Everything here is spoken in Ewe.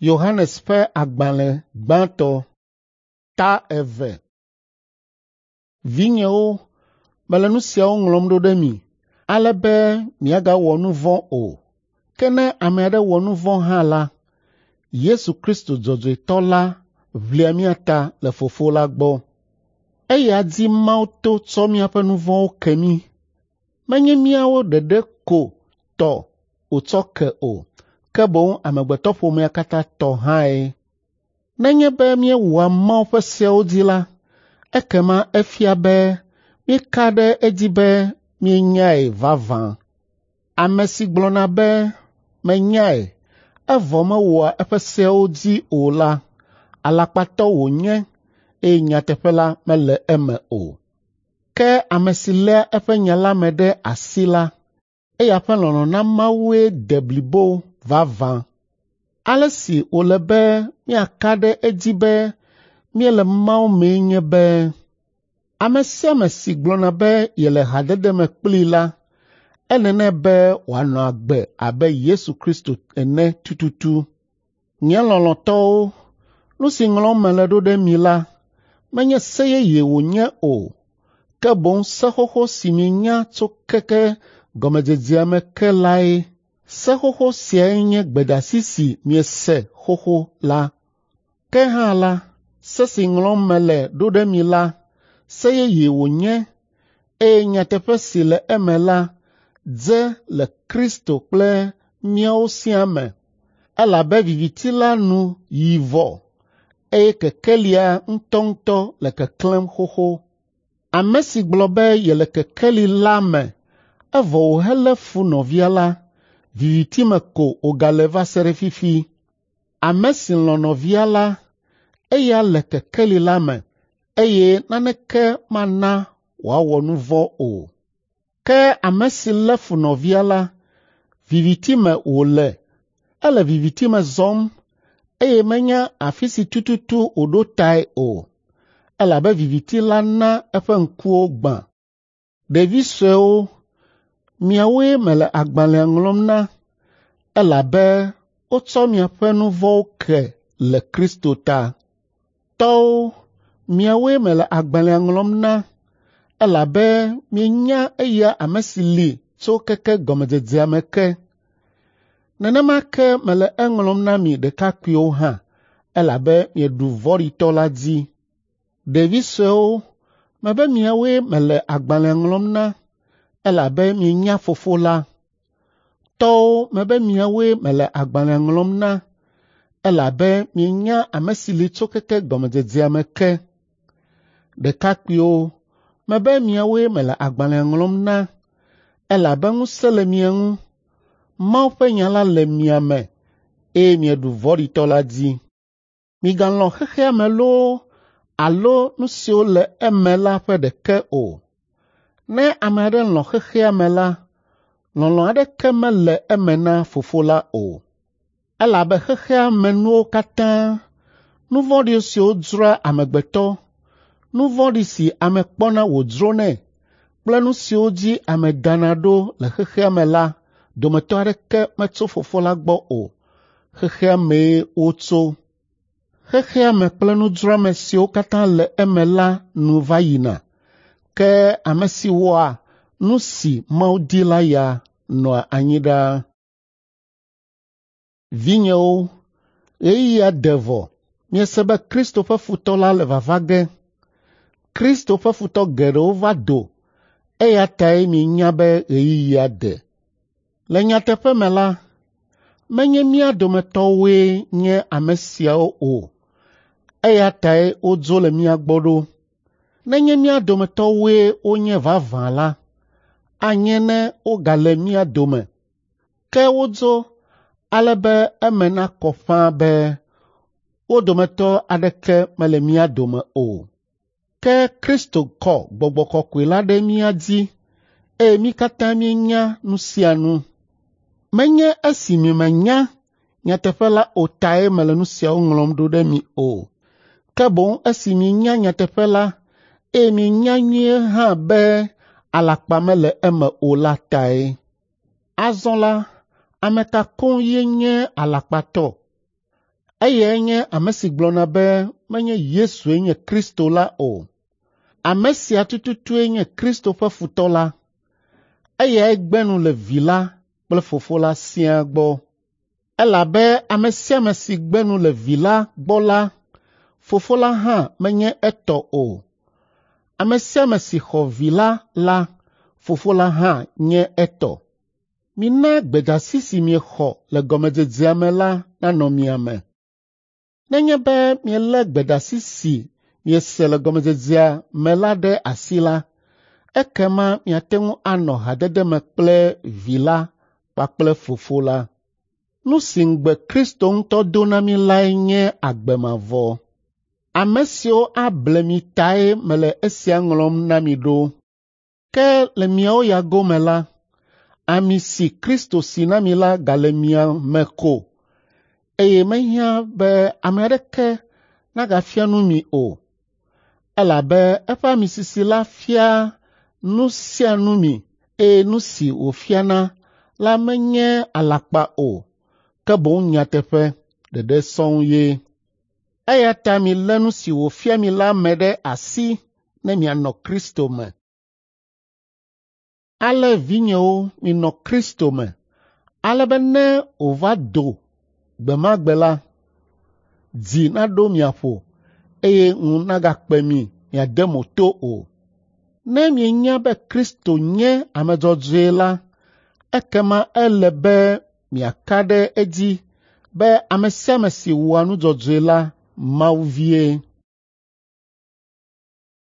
Yohanes ƒe agbalẽ gbãtɔ ta 2. Vinyewo, mele nu siawo ŋlɔm ɖo ɖe mi, ale be miagawɔ nu vɔ̃ o. Ke ne ame aɖe wɔ nu vɔ̃ hã la, Yesu Kristo dzɔdzɔetɔ la ʋlia mía ta le Fofo la gbɔ. Eya dzi Mawu to tsɔ míaƒe nu vɔ̃wo ke mí. Menye míawo ɖeɖe ko tɔ wòtsɔ ke o, ke boŋ amegbetɔƒomea katã tɔ hãe. Nenye be míewɔa Mawu ƒe seawo dzi la, ekema efia be míeka ɖe edzi be míenyae vavã. Ame si gblɔna be, “Menyae,” evɔ mewɔa eƒe seawo dzi o la, alakpatɔ wònye eye nyateƒe la mele eme o. Ke ame si léa eƒe nya la me ɖe asi la, eya ƒe lɔlɔ̃ na Mawue de blibo vavã. Ale si wòle be míaka ɖe edzi be míele Mawu mee nye be, ame sia ame si gblɔna be yele hadede me kplii la, ele nɛ be wòanɔ agbe abe Yesu Kristo ene tututu. Nye lɔlɔ̃tɔwo, nu si ŋlɔm mele ɖo ɖe mi la, menye se yeye wònye o, ke boŋ se xoxo si mienya tso keke gɔmedzedzea me ke lae. Se xoxo siae nye gbedeasi si miese xoxo la. Ke hã la, se si ŋlɔm mele ɖo ɖe mi la, se yeye wònye eye nyateƒe si le eme la dze le Kristo kple míawo siaa me, elabe viviti la nu yi vɔ eye kekelia ŋutɔŋutɔ le keklẽm xoxo. Ame si gblɔ be yele kekeli la me evɔ wòhelé fu nɔvia la, viviti me ko wògale va se ɖe fifi. Ame si lɔ̃ nɔvia la, eya le kekeli la me eye naneke mana wòawɔ nu vɔ̃ o. Ke ame si lé fu nɔvia la, viviti me wòle, ele viviti me zɔm eye menya afi si tututu wòɖo tae o, elabe viviti la na eƒe ŋkuwo gbã. Ɖevi suewo, miawoe mele agbalẽa ŋlɔm na, elabe wotsɔ miaƒe nu vɔ̃wo ke le Kristo ta. Tɔwo, miawoe mele agbalẽa ŋlɔm na, elabe mienya eya ame si li tso keke gɔmedzedzea me ke. Nenema ke mele eŋlɔm na mi ɖekakpuiwo hã, elabe mieɖu vɔ̃ɖitɔ la dzi. Ɖevi suewo, mebe miawoe mele agbalẽa ŋlɔm na, elabe mienya Fofo la. Tɔwo, mebe miawoe mele agbalẽa ŋlɔm na, elabe mienya ame si li tso keke gɔmedzedzea me ke. Ɖekakpuiwo, mebe miawoe mele agbalẽa ŋlɔm na, elabe ŋusẽ le mia ŋu. Mawu ƒe nya la le mia me eye mieɖu vɔ̃ɖitɔ la dzi. Migalɔ̃ xexea me loo alo nu siwo le eme la ƒe ɖeke o. Ne ame aɖe lɔ̃ xexea me la, lɔlɔ̃ aɖeke mele eme na Fofo la o. Elabe xexea me nuwo katã, nu vɔ̃ɖi siwo dzroa amegbetɔ, nu vɔ̃ɖi si ame kpɔna wòdzronɛ kple nu siwo dzi ame dana ɖo le xexea me la dometɔ aɖeke metso Fofo la gbɔ o. Xexea mee wotso. Xexea me kple nudzroame siwo katã le eme la nu va yina, ke ame si wɔa nu si Mawu di la ya nɔa anyi ɖaa. Vinyewo, ɣeyiɣia de vɔ miese be Kristo ƒe futɔ la le vava ge. Kristo ƒe futɔ geɖewo va do, eya tae mienya be ɣeyiɣia de. Le nyateƒe me la, menye mía dometɔwoe nye ame siawo o, eya tae wodzo le mía gbɔ ɖo. Nenye mía dometɔwoe wonye vavã la, anye ne wogale mía dome. Ke wodzo ale be eme nakɔ ƒãa be wo dometɔ aɖeke mele mía dome o. Ke Kristo kɔ Gbɔgbɔ Kɔkɔe la ɖe mía dzi eye mí katã míenya nu sia nu. Menye esi miemenya nyateƒe la o tae mele nu siawo ŋlɔm ɖo ɖe mi o, ke boŋ esi mienya nyateƒe la eye mienya nyuie hã be alakpa mele eme o la tae. Azɔ la, ame ka koŋ ye nye alakpatɔ? Eyae nye ame si gblɔna be menye Yesue nye Kristo la o. Ame sia tututue nye Kristo ƒe futɔ la. Eyae gbe nu le Vi la kple Fofo la siaa gbɔ. Elabe ame sia ame si gbe nu le Vi la gbɔ la, Fofo la hã menye etɔ o. Ame sia ame si xɔ Vi la la, Fofo la hã nye etɔ. Mina gbedeasi si miexɔ le gɔmedzedzea me la nanɔ mia me. Nenye be mielé gbedeasi si miese le gɔmedzedzea me la ɖe asi la, ekema miate ŋu anɔ hadede me kple Vi la kpakple Fofo la. Nu si ŋugbe Kristo ŋutɔ do na mí lae nye agbe mavɔ. Ame siwo able mi tae mele esia ŋlɔm na mi ɖo. Ke le miawo ya gome la, ami si Kristo si na mi la gale mia me ko eye mehiã be ame aɖeke nagafia nu mi o, elabe eƒe ami sisi la fiaa nu sia nu mi eye nu si wòfiana la menye alakpa o, ke boŋ nyateƒe ɖeɖe sɔŋ ye. Eya ta milé nu si wòfia mi la me ɖe asi ne mianɔ Kristo me. Ale vinyewo minɔ Kristo me, ale be ne wòva do gbe ma gbe la, dzi naɖo mia ƒo eye ŋu nagakpe mi miade mo to o. Ne mienya be Kristo nye ame dzɔdzɔe la, ekema ele be miaka ɖe edzi be ame sia ame si wɔa nu dzɔdzɔe la, Mawu vie.